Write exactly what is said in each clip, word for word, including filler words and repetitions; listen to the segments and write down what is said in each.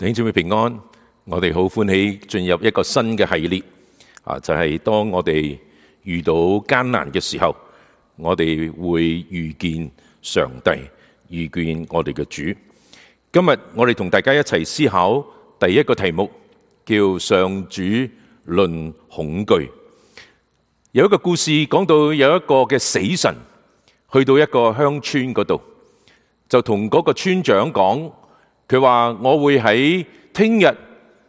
弟兄姊妹平安，我哋好歡喜進入一個新嘅系列啊！就係當我哋遇到艱難嘅時候，我哋會遇見上帝，遇見我哋嘅主。今日我哋同大家一齊思考第一個題目，叫上主論恐懼。有一個故事講到有一個嘅死神去到一個鄉村嗰度，就同嗰個村長講。佢話：我會喺聽日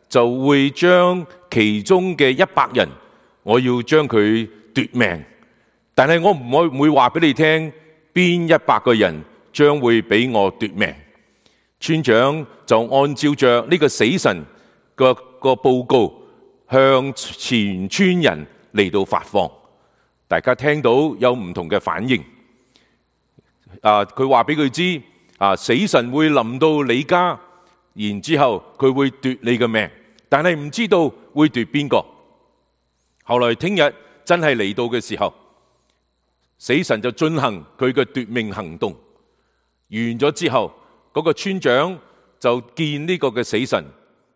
就會將其中嘅一百人，我要將佢奪命。但係我唔會唔會話俾你聽邊一百個人將會俾我奪命。村長就按照着呢個死神個個報告向全村人嚟到發放。大家聽到有唔同嘅反應。啊，佢話俾佢知。啊！死神會臨到你家，然之後佢會奪你嘅命，但係唔知道會奪邊個。後來聽日真係嚟到嘅時候，死神就進行佢嘅奪命行動。完咗之後，嗰個村長就見呢個嘅死神，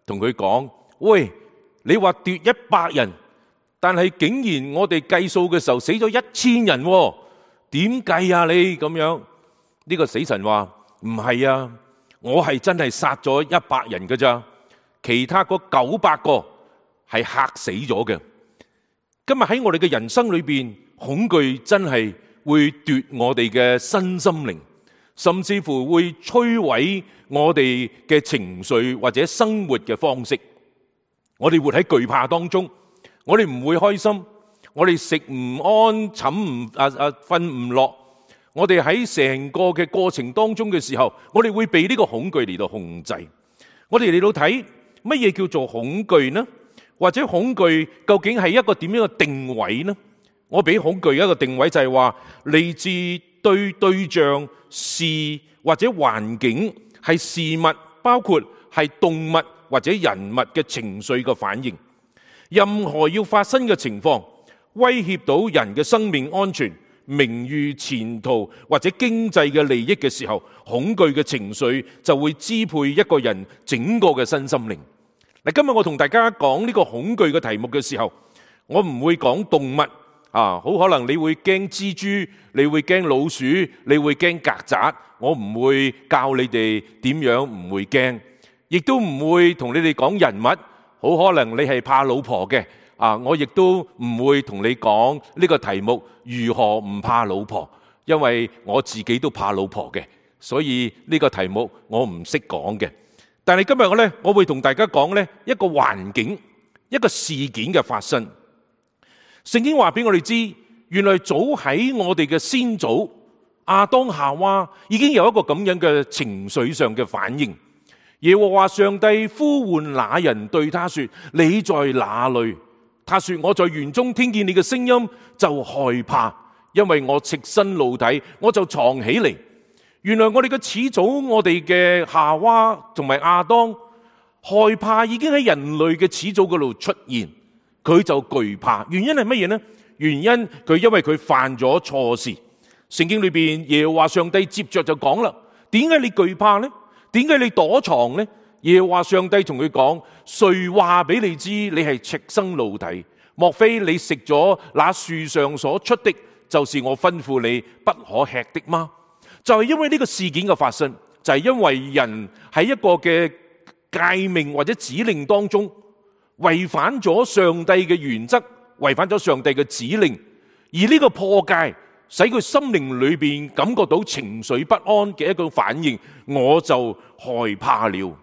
同佢講：喂，你話奪一百人，但係竟然我哋計數嘅時候死咗一千人喎，點計啊你咁樣？呢個死神話：唔係啊，我係真係殺咗一百人㗎咋，其他嗰九百個係嚇死咗嘅。今日喺我哋嘅人生裏邊，恐懼真係會奪我哋嘅身心靈，甚至乎會摧毀我哋嘅情緒或者生活嘅方式。我哋活喺懼怕當中，我哋唔會開心，我哋食唔安，寢唔啊啊瞓唔落。我哋喺成個嘅過程當中嘅時候，我哋會被呢個恐懼嚟到控制。我哋嚟到睇乜嘢叫做恐懼呢？或者恐懼究竟係一個點樣嘅定位呢？我俾恐懼一個定位就係話，嚟自對對象、事或者環境，係事物，包括係動物或者人物嘅情緒嘅反應。任何要發生嘅情況，威脅到人嘅生命安全、名譽、前途或者經濟嘅利益嘅時候，恐懼嘅情緒就會支配一個人整個嘅身心靈。嗱，今日我同大家講呢個恐懼嘅題目嘅時候，我唔會講動物啊，好可能你會驚蜘蛛，你會驚老鼠，你會驚曱甴，我唔會教你哋點樣唔會驚，亦都唔會同你哋講人物，好可能你係怕老婆嘅。啊！我亦都唔會同你講呢個題目如何唔怕老婆，因為我自己都怕老婆嘅，所以呢個題目我唔識講嘅。但係今日我呢，我會同大家講呢一個環境、一個事件嘅發生。聖經話俾我哋知，原來早喺我哋嘅先祖亞當夏娃已經有一個咁樣嘅情緒上嘅反應。耶和華上帝呼喚那人，對他說：你在哪裏？他說：我在園中聽見你嘅聲音，就害怕，因為我赤身露體，我就藏起嚟。原來我哋嘅始祖，我哋嘅夏娃同埋亞當，害怕已經喺人類嘅始祖嗰度出現，佢就懼怕。原因係乜嘢呢？原因佢因為佢犯咗錯事。聖經裏邊耶和華上帝接着就講啦：點解你懼怕呢？點解你躲藏呢？耶和華上帝同佢講：誰話俾你知你係赤身露體？莫非你食咗那樹上所出的，就是我吩咐你不可吃的嗎？就係因為呢個事件嘅發生，就係因為人喺一個嘅誡命或者指令當中違反咗上帝嘅原則，違反咗上帝嘅指令，而呢個破戒使佢心靈裏邊感覺到情緒不安嘅一個反應，我就害怕了。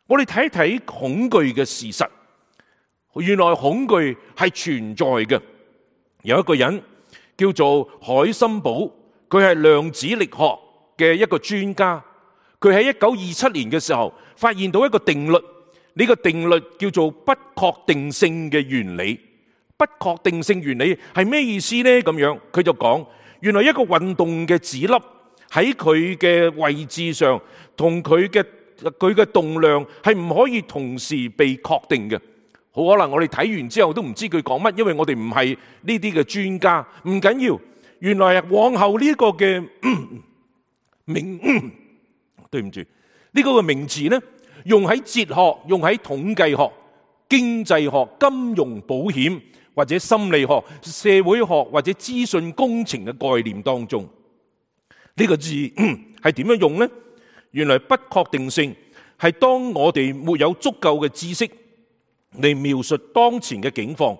我哋睇一睇恐懼嘅事實，原來恐懼係存在嘅。有一個人叫做海森堡，佢係量子力學嘅一個專家。佢喺一九二七年嘅時候發現到一個定律，呢個定律叫做不確定性嘅原理。不確定性原理係咩意思呢？咁樣佢就講，原來一個運動嘅子粒喺佢嘅位置上同佢嘅佢嘅動量係唔可以同時被確定嘅。好可能我哋睇完之後都唔知佢講乜，因為我哋唔係呢啲嘅專家。唔緊要，原來往後呢個嘅名，對唔住，呢個嘅名詞呢，用喺哲學、用喺統計學、經濟學、金融保險或者心理學、社會學或者資訊工程嘅概念當中。呢個字係點樣用呢？原來不確定性係當我哋沒有足夠嘅知識嚟描述當前嘅境況，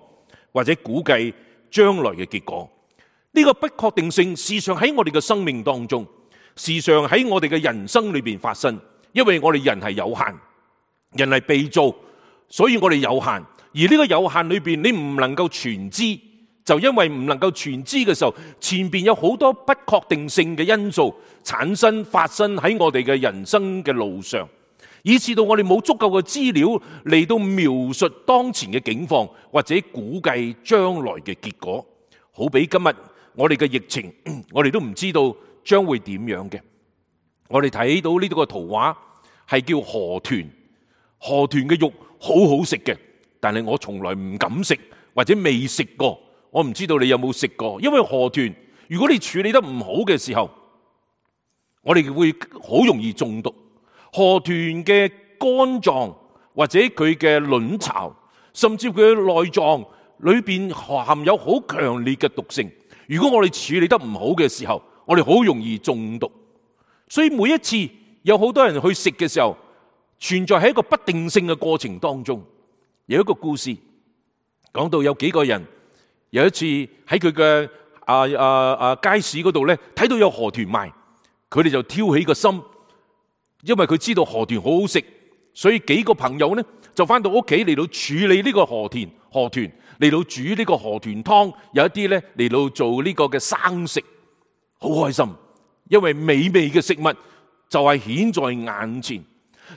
或者估計將來嘅結果。呢個不確定性時常喺我哋嘅生命當中，時常喺我哋嘅人生裏邊發生。因為我哋人係有限，人係被造，所以我哋有限。而呢個有限裏邊，你唔能夠全知，就因為唔能夠全知嘅時候，前邊有好多不確定性嘅因素產生發生喺我哋嘅人生嘅路上，以致到我哋冇足夠嘅資料嚟到描述當前嘅境況，或者估計將來嘅結果。好比今日我哋嘅疫情，我哋都唔知道將會點樣嘅。我哋睇到呢個圖畫係叫河豚，河豚嘅肉好好食嘅，但係我從來唔敢食，或者未食過。我唔知道你有冇食過，因為河豚如果你處理得唔好嘅時候，我哋會好容易中毒。河豚嘅肝臟或者佢嘅卵巢，甚至佢嘅內臟裏邊含有好強烈嘅毒性。如果我哋處理得唔好嘅時候，我哋好容易中毒。所以每一次有好多人去食嘅時候，存在喺一個不定性嘅過程當中。有一個故事講到有幾個人有一次喺佢嘅啊啊啊街市嗰度咧，睇到有河豚賣，佢哋就挑起個心，因為佢知道河豚好好食，所以幾個朋友咧就翻到屋企嚟到處理呢個河豚，河豚嚟到煮呢個河豚湯，有一啲咧嚟到做呢個嘅生食，好開心。因為美味嘅食物就係顯在眼前，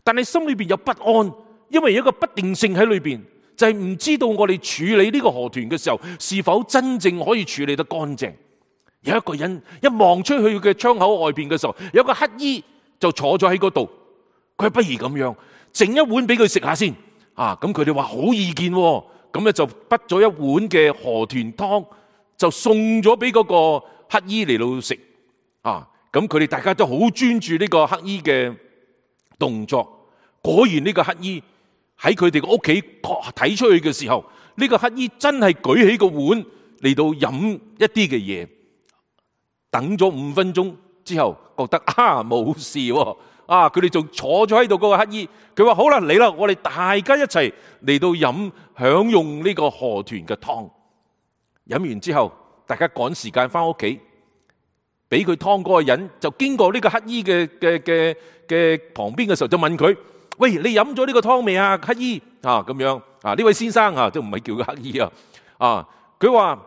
但係心裏邊有不安，因為有一個不定性喺裏邊，就係唔知道我哋處理呢個河豚嘅時候，是否真正可以處理得乾淨。有一個人一望出去嘅窗口外邊嘅時候，有個乞衣就坐咗喺嗰度，佢不如咁樣整一碗俾佢食下先啊！咁佢哋話好意見，咁咧就滗咗一碗嘅河豚湯，就送咗俾嗰個乞衣嚟到食啊！咁佢哋大家都好專注呢個乞衣嘅動作。果然呢個乞衣喺佢哋個屋企睇出去嘅時候，呢個乞衣真係舉起個碗嚟到飲一啲嘅嘢。等咗五分鐘之後，覺得啊冇事喎，啊佢哋仲坐咗喺度嗰個乞衣。佢話好啦，嚟啦，我哋大家一齊嚟到飲享用呢個河豚嘅湯。飲完之後，大家趕時間翻屋企。俾佢湯嗰個人就經過呢個乞衣嘅嘅嘅嘅旁邊嘅時候，就問佢：喂，你飲咗呢個湯未啊？乞衣啊咁樣啊？呢位先生啊，都唔係叫佢乞衣啊。啊，佢話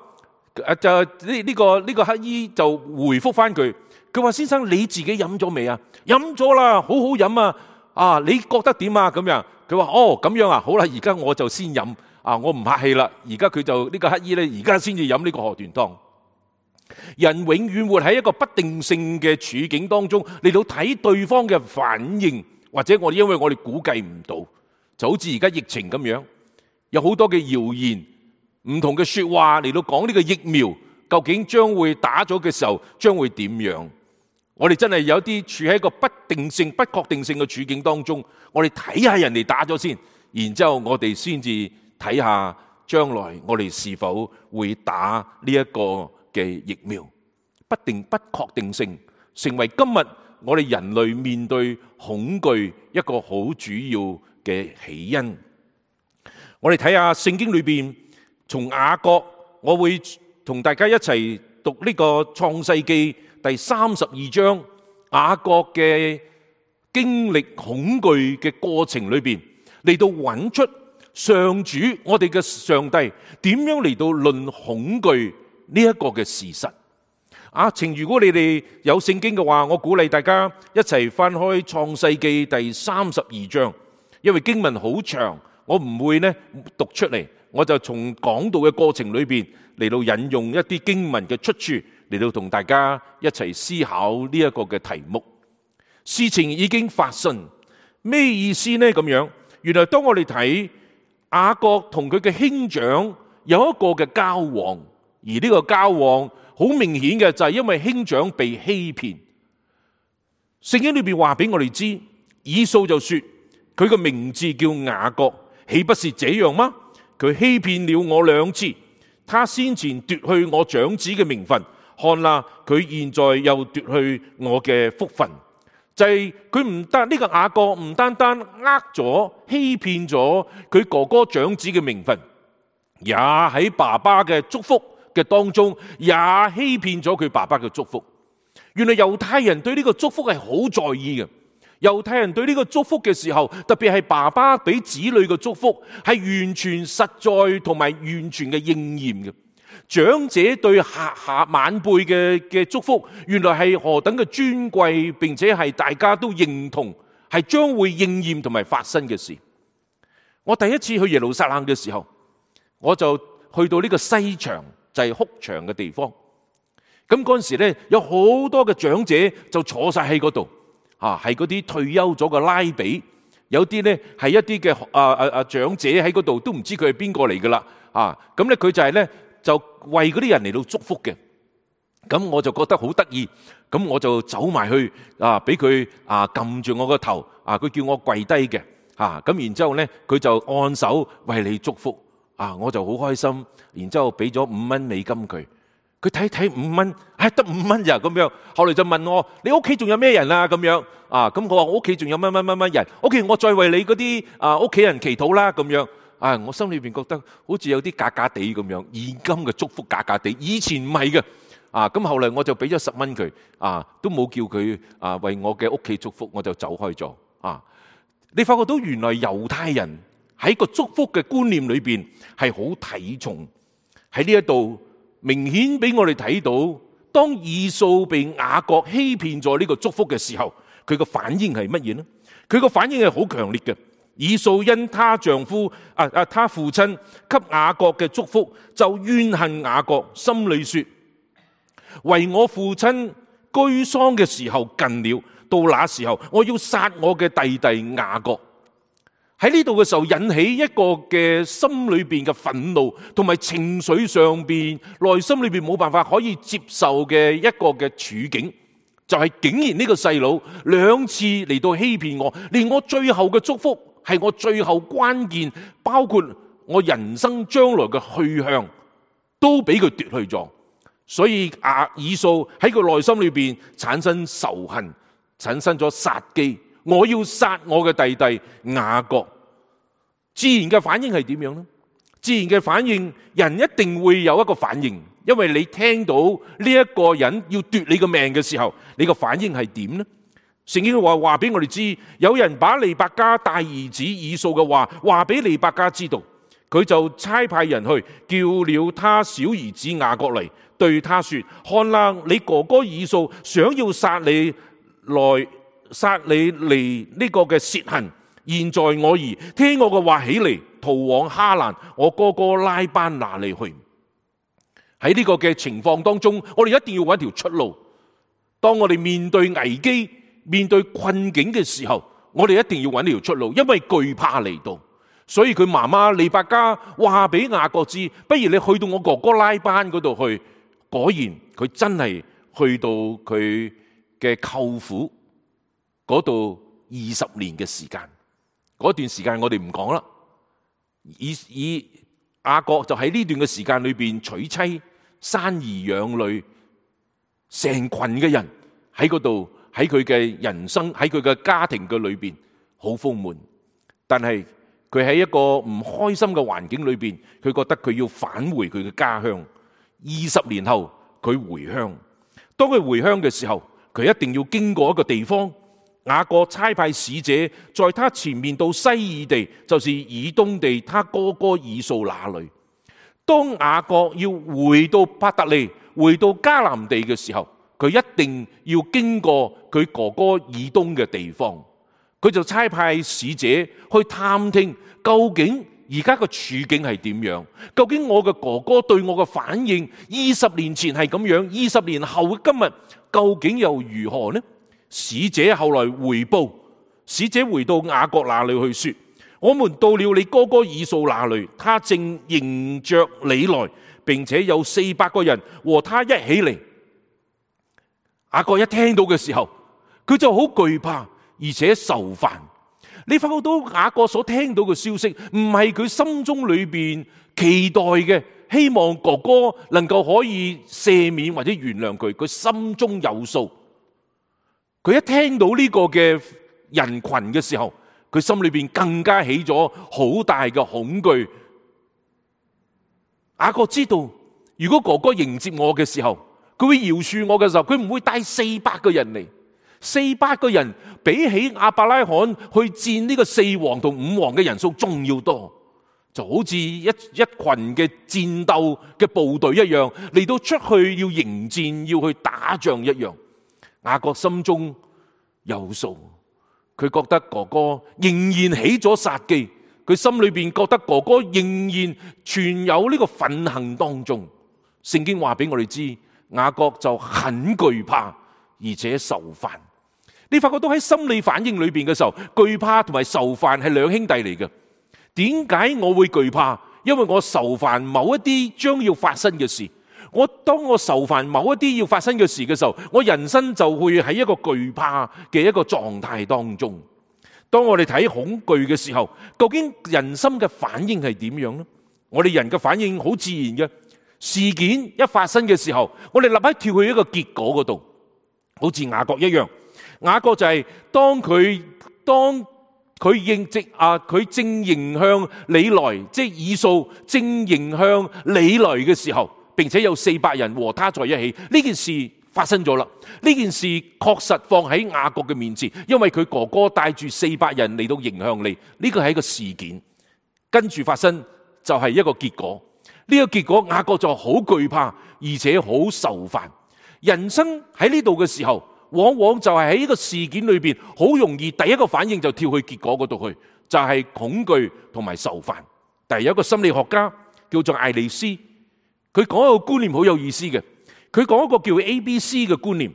誒就呢呢個呢個乞衣就回覆翻佢，佢話：先生你自己飲咗未啊？飲咗啦，好好飲啊！啊，你覺得點啊？咁樣佢話：哦咁樣啊，好啦，而家我就先飲啊，我唔客氣啦。而家佢就呢個乞衣咧，而家先至飲呢個河豚湯。人永遠活喺一個不定性嘅處境當中，嚟到睇對方嘅反應，或者我哋因為我哋估計唔到，就好似而家疫情咁樣，有好多嘅謠言、唔同嘅說話嚟到講呢個疫苗究竟將會打咗嘅時候將會點樣。我哋真係有啲處喺一個不定性、不確定性嘅處境當中，我哋睇下人哋打咗先，然之後我哋先至睇下將來我哋是否會打呢一個嘅疫苗。不定不確定性成為今日我哋人類面對恐懼一個好主要嘅起因。我哋睇下聖經裏邊，從雅各，我會同大家一齊讀呢個創世記第三十二章，雅各嘅經歷恐懼嘅過程裏邊，嚟到揾出上主我哋嘅上帝點樣嚟到論恐懼呢一個嘅事實。啊，情如果你哋有聖經嘅話，我鼓勵大家一齊翻開創世記第三十二章，因為經文好長，我唔會呢讀出嚟，我就從講道嘅過程裏邊嚟到引用一啲經文嘅出處，嚟到同大家一齊思考呢一個嘅題目。事情已經發生，咩意思呢？咁樣，原來當我哋睇雅各同佢嘅兄長有一個嘅交往，而呢個交往好明顯嘅就係因為兄長被欺騙。聖經裏邊話俾我哋知，以掃就說：佢個名字叫雅各，豈不是這樣嗎？佢欺騙了我兩次，他先前奪去我長子嘅名分，看啦，佢現在又奪去我嘅福分。就係佢唔得呢個雅各，唔單單呃咗、欺騙咗佢哥哥長子嘅名分，也喺爸爸嘅祝福嘅當中，也欺騙咗佢爸爸嘅祝福。原來猶太人對呢個祝福係好在意嘅。猶太人對呢個祝福嘅時候，特別係爸爸俾子女嘅祝福，係完全實在同埋完全嘅應驗嘅。長者對下下晚輩嘅嘅祝福，原來係何等嘅尊貴，並且係大家都認同，係將會應驗同埋發生嘅事。我第一次去耶路撒冷嘅時候，我就去到呢個西牆，就係哭牆嘅地方。咁嗰陣時咧，有好多嘅長者就坐晒喺嗰度。啊，係嗰啲退休咗嘅拉比，有啲咧係一啲嘅啊啊啊長者喺嗰度，都唔知佢係邊個嚟噶啦。啊，咁咧佢就係咧就為嗰啲人嚟到祝福嘅。咁我就覺得好得意，咁我就走埋去啊，俾佢啊撳住我個頭，啊佢叫我跪低嘅。啊，咁然之後咧佢就按手為你祝福。啊，我就好開心，然之後俾咗五蚊美金佢。佢睇睇五蚊，唉得五蚊咋咁樣。後來就問我：你屋企仲有咩人啊？咁樣啊，咁我話我屋企仲有乜乜乜乜人。OK，我再為你嗰啲啊屋企人祈禱啦。咁樣啊，我心裏邊覺得好似有啲假假地咁樣，現金嘅祝福假假地。以前唔係嘅啊，咁後來我就俾咗十蚊佢啊，都冇叫佢啊為我嘅屋企祝福，我就走開咗啊。你發覺到原來猶太人喺個祝福嘅觀念裏邊係好睇重喺呢一度。明顯俾我哋睇到，當以掃被雅各欺騙咗呢個祝福嘅時候，佢個反應係乜嘢呢？佢個反應係好強烈嘅。以掃因他丈夫啊啊，他父親給雅各嘅祝福，就怨恨雅各，心裏說：為我父親居喪嘅時候近了，到那時候我要殺我嘅弟弟雅各。喺呢度嘅時候，引起一個嘅心裏邊嘅憤怒，同埋情緒上邊、內心裏邊冇辦法可以接受嘅一個嘅處境，就係竟然呢個細佬兩次嚟到欺騙我，連我最後嘅祝福係我最後關鍵，包括我人生將來嘅去向，都俾佢奪去咗。所以亞以掃喺佢內心裏邊產生仇恨，產生咗殺機。我要殺我嘅弟弟雅各。自然嘅反應係點樣呢？自然嘅反應，人一定會有一個反應，因為你聽到呢一個人要奪你個命嘅時候，你個反應係點呢？聖經話話俾我哋知，有人把利百加大兒子以掃嘅話話俾利百加知道，佢就差派人去叫了他小兒子雅各嚟，對他說：看啦，你哥哥以掃想要殺你來。殺你嚟呢個嘅褻行，現在我兒聽我嘅話起嚟，逃往哈蘭，我哥哥拉班那裏去。喺呢個嘅情況當中，我哋一定要揾條出路。當我哋面對危機、面對困境嘅時候，我哋一定要揾條出路，因為懼怕嚟到。所以佢媽媽利百加話俾雅各知：不如你去到我哥哥拉班嗰度去。果然佢真係去到佢嘅舅父嗰度二十年嘅時間，嗰段時間我哋唔講啦。以以雅各就喺呢段嘅時間裏邊娶妻、生兒養女，成群嘅人喺嗰度，喺佢嘅人生，喺佢嘅家庭嘅裏邊好豐滿。但係佢喺一個唔開心嘅環境裏邊，佢覺得佢要返回佢嘅家鄉。二十年後佢回鄉，當佢回鄉嘅時候，佢一定要經過一個地方。雅各差派使者在他前面到西珥地，就是以東地，他哥哥以掃那裏。當雅各要回到伯特利，回到迦南地嘅時候，佢一定要經過佢哥哥以東嘅地方。佢就差派使者去探聽，究竟而家個處境係點樣？究竟我嘅哥哥對我嘅反應，二十年前係咁樣，二十年後嘅今日究竟又如何呢？使者後來回報，使者回到雅各那裏去說：我們到了你哥哥以掃那裏，他正迎着你來，並且有四百個人和他一起嚟。雅各一聽到嘅時候，佢就好懼怕，而且愁煩。你發覺到雅各所聽到嘅消息，唔係佢心中裏邊期待嘅，希望哥哥能夠可以赦免或者原諒佢，佢心中有數。佢一聽到呢個嘅人群嘅時候，佢心裏邊更加起咗好大嘅恐懼。雅各知道，如果哥哥迎接我嘅時候，佢會饒恕我嘅時候，佢唔會帶四百個人嚟。四百個人比起亞伯拉罕去戰呢個四王同五王嘅人數仲要多，就好似一一群嘅戰鬥嘅部隊一樣，嚟到出去要迎戰，要去打仗一樣。雅各心中有數，佢覺得哥哥仍然起咗殺機，佢心裏邊覺得哥哥仍然存有呢個憤恨當中。聖經話俾我哋知，雅各就很懼怕，而且受煩。你發覺到喺心理反應裏邊嘅時候，懼怕同埋受煩係兩兄弟嚟嘅。點解我會懼怕？因為我受煩某一啲將要發生嘅事。我當我受煩某一啲要發生嘅事嘅時候，我人生就會喺一個懼怕嘅一個狀態當中。當我哋睇恐懼嘅時候，究竟人心嘅反應係點樣呢？我哋人嘅反應好自然嘅，事件一發生嘅時候，我哋立刻跳去一個結果嗰度，好似雅各一樣。雅各就係當佢當佢應直啊，佢正迎向你來，即係以掃正迎向你來嘅時候，並且有四百人和他在一起，呢件事發生咗啦。呢件事確實放喺雅各嘅面前，因為佢哥哥帶住四百人嚟到迎向你，呢個係一個事件。跟住發生就係一個結果，呢個結果雅各就好懼怕，而且好受煩。人生喺呢度嘅時候，往往就係喺呢個事件裏邊，好容易第一個反應就跳去結果嗰度去，就係恐懼同埋受煩。但係有一個心理學家叫做艾利斯，佢講一個觀念好有意思嘅。佢講一個叫 A B C 嘅觀念。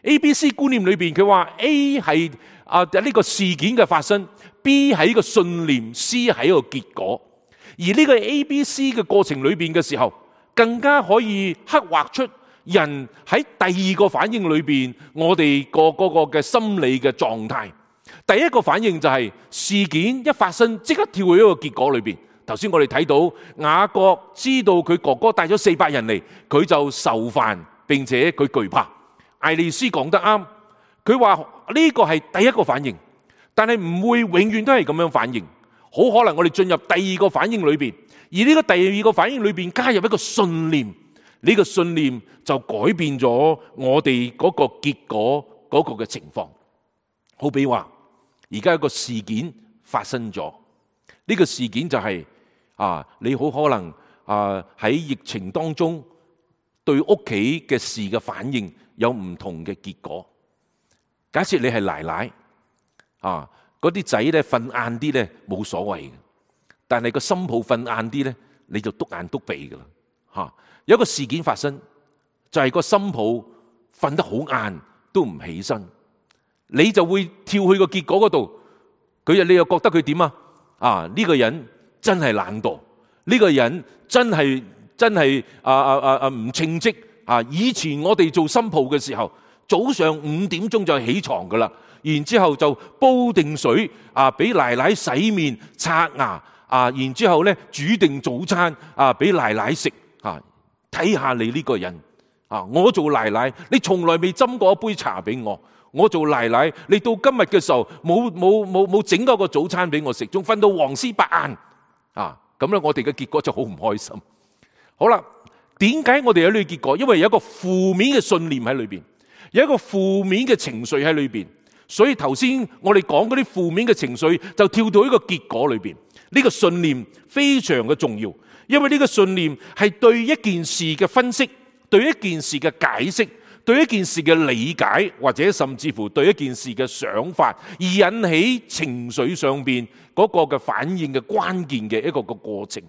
A B C 觀念裏邊，佢話 A 係啊呢個事件嘅發生， B 係一個信念， C 係一個結果。而呢個 A B C 嘅過程裏邊嘅時候，更加可以刻畫出人喺第二個反應裏邊，我哋個嗰個嘅心理嘅狀態。第一個反應就係事件一發生，即刻跳去一個結果裏邊。頭先我哋睇到雅各知道佢哥哥帶咗四百人嚟，佢就受煩，並且佢懼怕。艾利斯講得啱，佢話呢個係第一個反應，但係唔會永遠都係咁樣反應。好可能我哋進入第二個反應裏邊，而呢個第二個反應裏邊加入一個信念。呢個信念就改變咗我哋嗰個結果嗰個嘅情況。好比話，而家有個事件發生咗，呢個事件就係啊，你好可能啊喺疫情當中對屋企嘅事嘅反應有唔同嘅結果。假設你係奶奶啊，嗰啲仔咧瞓晏啲咧冇所謂嘅，但係個新抱瞓晏啲咧，你就篤眼篤鼻噶啦吓。有一個事件發生，就係個新抱瞓得好晏都唔起身，你就會跳去個結果嗰度。佢你又覺得佢點啊？啊呢個人真係懶惰，呢個人真係真係啊啊啊啊唔稱職啊！以前我哋做新抱嘅時候，早上五點鐘就起床噶啦，然之後就煲定水啊，俾奶奶洗面刷牙啊，然之後咧煮定早餐啊，俾奶奶食啊。睇下你呢個人啊！我做奶奶，你從來未斟過一杯茶俾我。我做奶奶，你到今日嘅時候冇冇冇冇整嗰個早餐俾我食，仲瞓到黃絲白晏啊！咁咧，我哋嘅結果就好唔開心。好啦，點解我哋有呢個結果？因為有一個負面嘅信念喺裏邊，有一個負面嘅情緒喺裏邊。所以頭先我哋講嗰啲負面嘅情緒，就跳到一個結果裏邊。呢個信念非常嘅重要。因為呢個信念係對一件事嘅分析，對一件事嘅解釋，對一件事嘅理解，或者甚至乎對一件事嘅想法，而引起情緒上邊嗰個嘅反應嘅關鍵嘅一個個過程。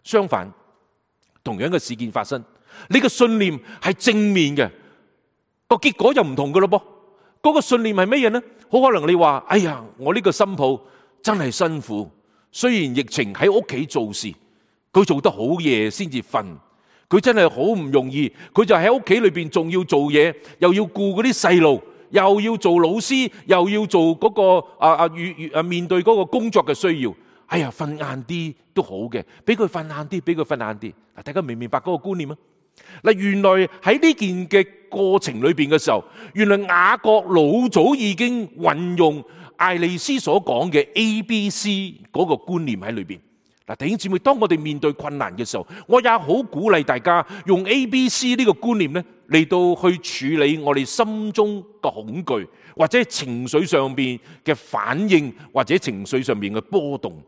相反，同樣嘅事件發生，呢個信念係正面嘅，個結果就唔同噶咯噃。嗰個信念係乜嘢呢？好可能你話：哎呀，我呢個新抱真係辛苦，雖然疫情喺屋企做事。佢做得好夜先至瞓，佢真係好唔容易。佢就喺屋企裏邊仲要做嘢，又要顧嗰啲細路，又要做老師，又要做嗰、那個啊啊與啊面對嗰個工作嘅需要。哎呀，瞓晏啲都好嘅，俾佢瞓晏啲，俾佢瞓晏啲。嗱，大家明唔明白嗰個觀念啊？嗱，原來喺呢件嘅過程裏邊嘅時候，原來雅各老早已經運用艾利斯所講嘅 A B C 嗰個觀念喺裏邊。嗱，弟兄姊妹，當我哋面對困難嘅時候，我也好鼓勵大家用 A B C 呢個觀念咧嚟到去處理我哋心中嘅恐懼，或者情緒上邊嘅反應，或者情緒上邊嘅波動。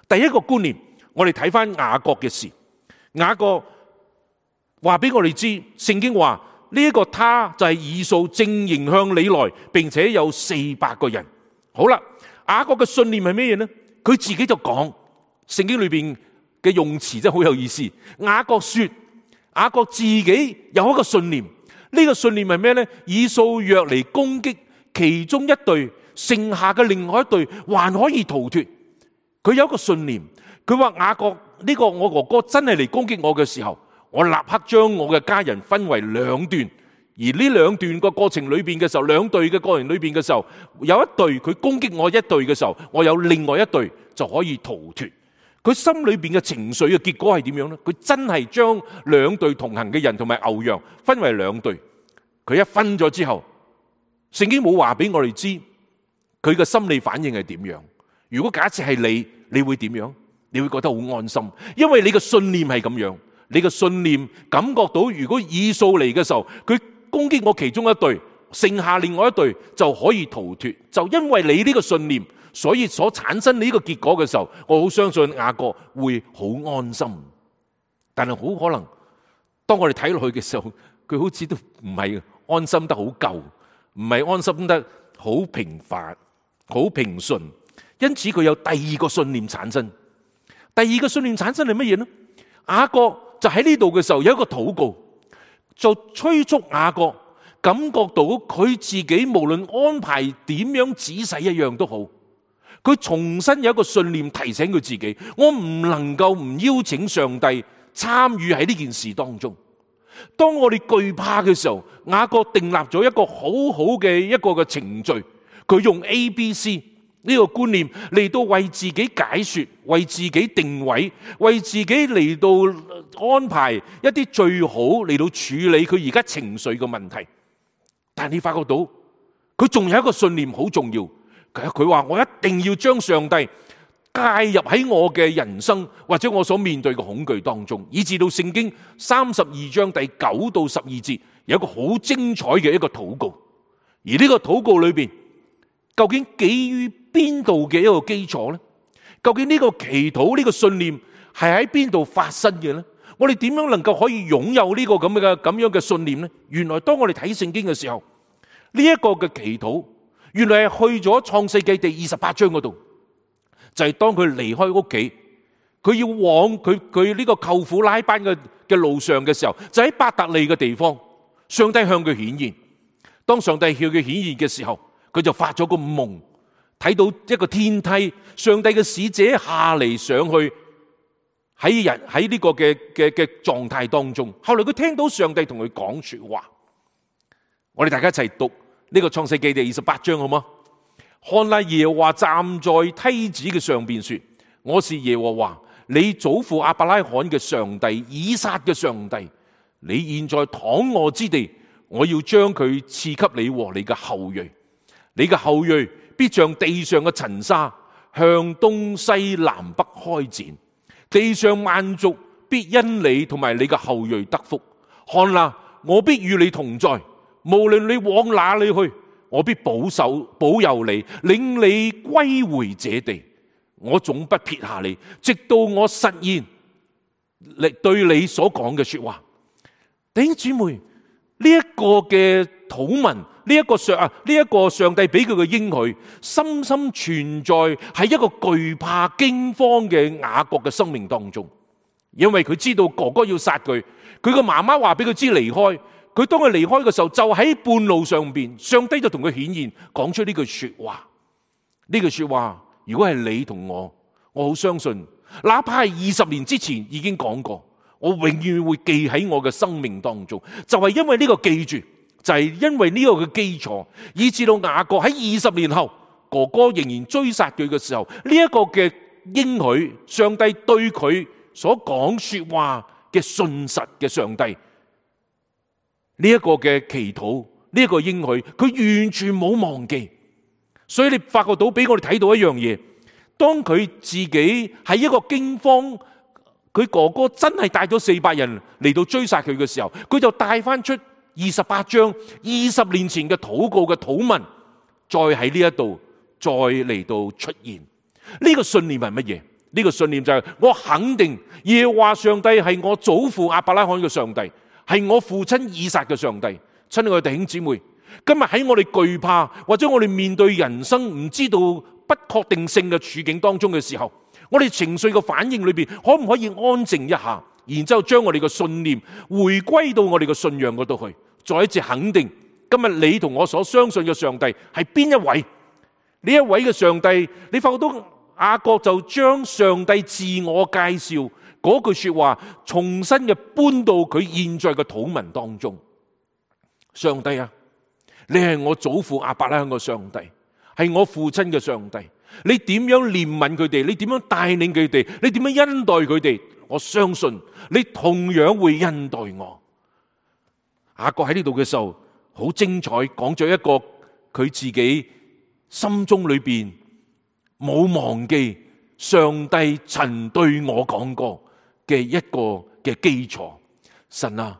第一個觀念，我哋睇翻雅各嘅事。雅各話俾我哋知，聖經話呢一個他就係以掃正迎向你來，並且有四百個人。好啦，雅各嘅信念係咩嘢呢？佢自己就講，聖經裏邊嘅用詞真係好有意思。雅各說，雅各自己有一個信念，呢個信念係咩呢？以掃若嚟攻擊其中一隊，剩下嘅另外一隊還可以逃脫。佢有一個信念，佢話雅各，呢個我哥哥真係嚟攻擊我嘅時候，我立刻將我嘅家人分為兩段，而呢兩段個過程裏邊嘅時候，兩隊嘅過程裏邊嘅時候，有一隊佢攻擊我一隊嘅時候，我有另外一隊就可以逃脫。佢心裏邊嘅情緒嘅結果係點樣呢？佢真係將兩隊同行嘅人同埋牛羊分為兩隊。佢一分咗之後，聖經冇話俾我哋知佢嘅心理反應係點樣。如果假設係你，你會點樣？你會覺得好安心，因為你嘅信念係咁樣。你嘅信念感覺到，如果以掃嚟嘅時候，佢攻擊我其中一隊，剩下另外一隊就可以逃脫。就因為你呢個信念，所以所產生呢個結果嘅時候，我好相信雅各會好安心。但係好可能，當我哋睇落去嘅時候，佢好似都唔係安心得好夠，唔係安心得好平凡、好平順。因此佢有第二個信念產生。第二個信念產生係乜嘢呢？雅各就喺呢度嘅時候有一個禱告，就催促雅各感覺到佢自己無論安排點樣仔細一樣都好，佢重新有一個信念提醒佢自己，我唔能夠唔邀請上帝參與喺呢件事當中。當我哋懼怕嘅時候，雅各訂立咗一個好好嘅一個嘅程序，佢用 A B C 呢個觀念嚟到為自己解說，為自己定位，為自己嚟到安排一啲最好嚟到處理佢而家情緒嘅問題。但係你發覺到佢仲有一個信念好重要，佢話我一定要將上帝介入喺我嘅人生或者我所面對嘅恐懼當中，以至到聖經三十二章第九到十二節有一個好精彩嘅一個禱告。而呢個禱告裏邊究竟基於邊度嘅一個基礎呢？究竟呢個祈禱呢個信念係喺邊度發生嘅呢？我哋點樣能夠可以擁有呢個咁嘅咁樣嘅信念呢？原來當我哋睇聖經嘅時候，呢一個嘅祈禱原來係去咗創世記第二十八章嗰度，就係當佢離開屋企，佢要往佢佢呢個舅父拉班嘅嘅路上嘅時候，就喺伯特利嘅地方，上帝向佢顯現。當上帝向佢顯現嘅時候，佢就發咗個夢，睇到一個天梯，上帝嘅使者下嚟上去喺人喺呢個嘅嘅嘅狀態當中。後來佢聽到上帝同佢講說話，我哋大家一齊讀呢個創世記第二十八章好嗎？看哪，耶和華站在梯子嘅上邊說：我是耶和華，你祖父亞伯拉罕嘅上帝，以撒嘅上帝。你現在躺臥之地，我要將佢賜給你和你嘅後裔。你嘅後裔必像地上嘅塵沙，向東西南北開展。地上萬族必因你同埋你嘅後裔得福。看哪，我必與你同在，無論你往哪裏去，我必保守保佑你，領你歸回這地。我總不撇下你，直到我實現你對你所講嘅說話。弟兄姊妹，呢一個嘅禱文，呢一個上啊，呢一個上帝俾佢嘅應許，深深存在喺一個懼怕驚慌嘅雅各嘅生命當中。因為佢知道哥哥要殺佢，佢個媽媽話俾佢知離開，佢當佢離開嘅時候，就喺半路上邊，上帝就同佢顯現，講出呢句說話。呢句說話，如果係你同我，我好相信，哪怕係二十年之前已經講過，我永遠會記喺我嘅生命當中。就係因為呢個記住，就係因為呢個嘅基礎，以至到雅各喺二十年後，哥哥仍然追殺佢嘅時候，呢一個嘅應許，上帝對佢所講說話嘅信實嘅上帝，呢一個嘅祈禱，呢一個應許，佢完全冇忘記。所以你發覺到俾我哋睇到一樣嘢，當佢自己喺一個驚慌，佢哥哥真係帶咗四百人嚟到追殺佢嘅時候，佢就帶翻出二十八章二十年前嘅禱告嘅禱文，再喺呢一度再嚟到出現。呢個信念係乜嘢？呢個信念就係我肯定耶和華上帝係我祖父亞伯拉罕嘅上帝，係我父親以撒嘅上帝。親愛嘅弟兄姊妹，今日喺我哋懼怕或者我哋面對人生唔知道不確定性嘅處境當中嘅時候，我哋情緒嘅反應裏邊可唔可以安靜一下，然之後將我哋嘅信念回歸到我哋嘅信仰嗰度去，再一次肯定今日你同我所相信嘅上帝係邊一位？呢一位嘅上帝，你發覺到雅各就將上帝自我介紹嗰句說話重新嘅搬到佢現在嘅禱文當中。上帝啊，你係我祖父亞伯拉罕嘅上帝，係我父親嘅上帝。你點樣憐憫佢哋？你點樣帶領佢哋？你點樣恩待佢哋？我相信你同樣會恩待我。雅各喺呢度嘅時候好精彩，講咗一個佢自己心中裏邊冇忘記上帝曾對我講過嘅一個嘅基礎。神啊，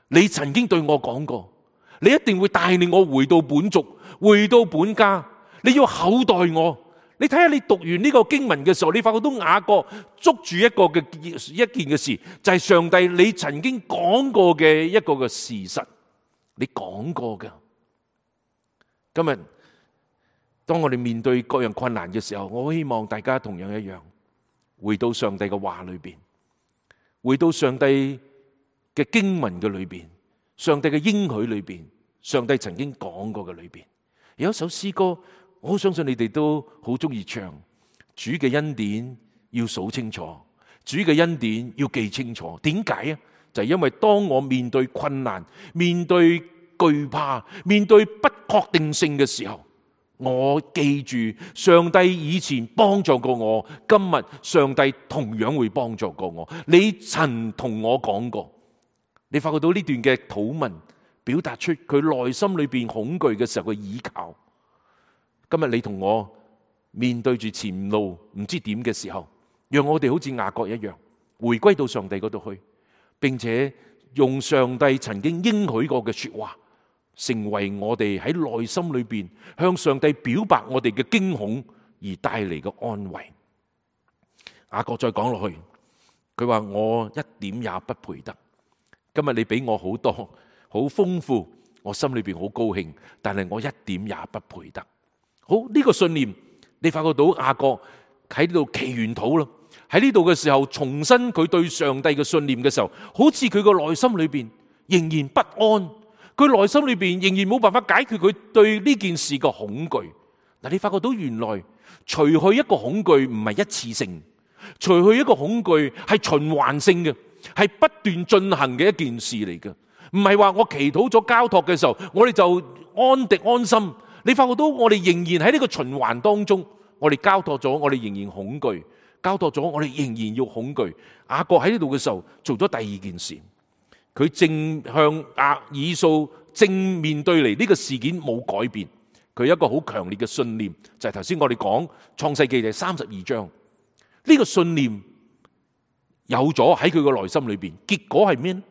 你曾經對我講過，你一定會帶領我回到本族，回到本家。你要厚待我。你睇下，你讀完呢個經文嘅時候，你發覺到雅各捉住一個嘅一件嘅事，就係上帝你曾經講過嘅一個嘅事實，你講過㗎。今日當我哋面對各樣困難嘅時候，我希望大家同樣一樣，回到上帝嘅話裏邊，回到上帝嘅經文嘅裏邊，上帝嘅應許裏邊，上帝曾經講過嘅裏邊。有一首詩歌，我好相信你哋都好中意唱。主嘅恩典要數清楚，主嘅恩典要記清楚。點解啊？就係因為當我面對困難、面對懼怕、面對不確定性嘅時候，我記住上帝以前幫助過我，今日上帝同樣會幫助過我。你曾同我講過，你發覺到呢段嘅禱文表達出佢內心裏邊恐懼嘅時候嘅倚靠。今日你同我面對住前路唔知點嘅時候，讓我哋好似雅各一樣，回歸到上帝嗰度去，並且用上帝曾經應許過嘅說話，成為我哋喺內心裏邊向上帝表白我哋嘅驚恐而帶嚟嘅安慰。雅各再講落去，佢話我一點也不配得。今日你俾我好多好豐富，我心裏邊好高興，但係我一點也不配得。好，呢個信念，你發覺到雅各喺呢度祈完禱咯，喺呢度嘅時候重申佢對上帝嘅信念嘅時候，好似佢個內心裏邊仍然不安，佢內心裏邊仍然冇辦法解決佢對呢件事嘅恐懼。嗱，你發覺到原來除去一個恐懼唔係一次性，除去一個恐懼係循環性嘅，係不斷進行嘅一件事嚟嘅，唔係話我祈禱咗交託嘅時候，我哋就安定安心。你發覺到我哋仍然喺呢個循環當中，我哋交託咗，我哋仍然恐懼；交託咗，我哋仍然要恐懼。雅各喺呢度嘅時候做咗第二件事，佢正向亞以掃正面對嚟呢個事件冇改變，佢有一個好強烈嘅信念，就係頭先我哋講創世記第三十二章，呢個信念有咗喺佢個內心裏邊，結果係咩呢？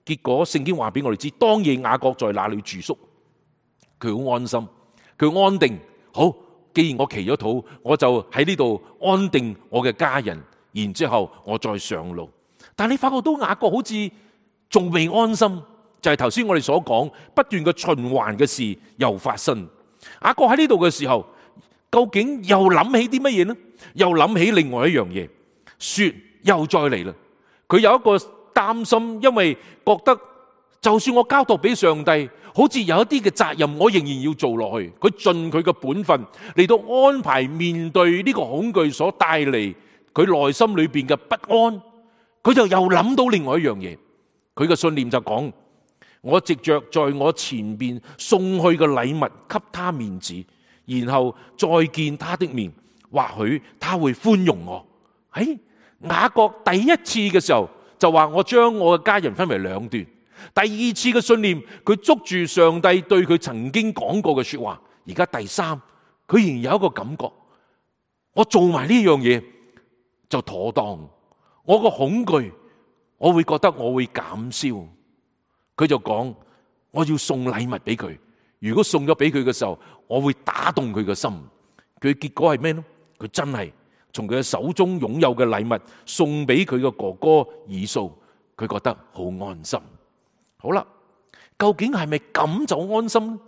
結果聖經話俾我哋知，當夜雅各在那裏住宿，佢好安心。佢安定，好，既然我祈咗禱，我就喺呢度安定我嘅家人，然之後我再上路。但你發覺到雅各好似仲未安心，就係頭先我哋所講不斷嘅循環嘅事又發生。雅各喺呢度嘅時候，究竟又諗起啲乜嘢呢？又諗起另外一樣嘢，說又再嚟啦。佢有一個擔心，因為覺得就算我交託俾上帝，好似有一啲嘅責任，我仍然要做落去。佢盡佢嘅本分嚟到安排面對呢個恐懼所帶嚟佢內心裏邊嘅不安。佢就又諗到另外一樣嘢，佢嘅信念就講：我藉着在我前邊送去嘅禮物給他面子，然後再見他的面，或許他會寬容我。喺雅各第一次嘅時候就話我將我嘅家人分為兩段。第二次嘅信念，佢捉住上帝對佢曾經講過嘅說話。而家第三，佢仍然有一個感覺，我做埋呢樣嘢就妥當。我個恐懼，我會覺得我會減少。佢就講我要送禮物俾佢，如果送咗俾佢嘅時候，我會打動佢嘅心。佢結果係咩呢？佢真係從佢嘅手中擁有嘅禮物送俾佢嘅哥哥以掃，佢覺得好安心。好啦，究竟係咪咁就安心呢？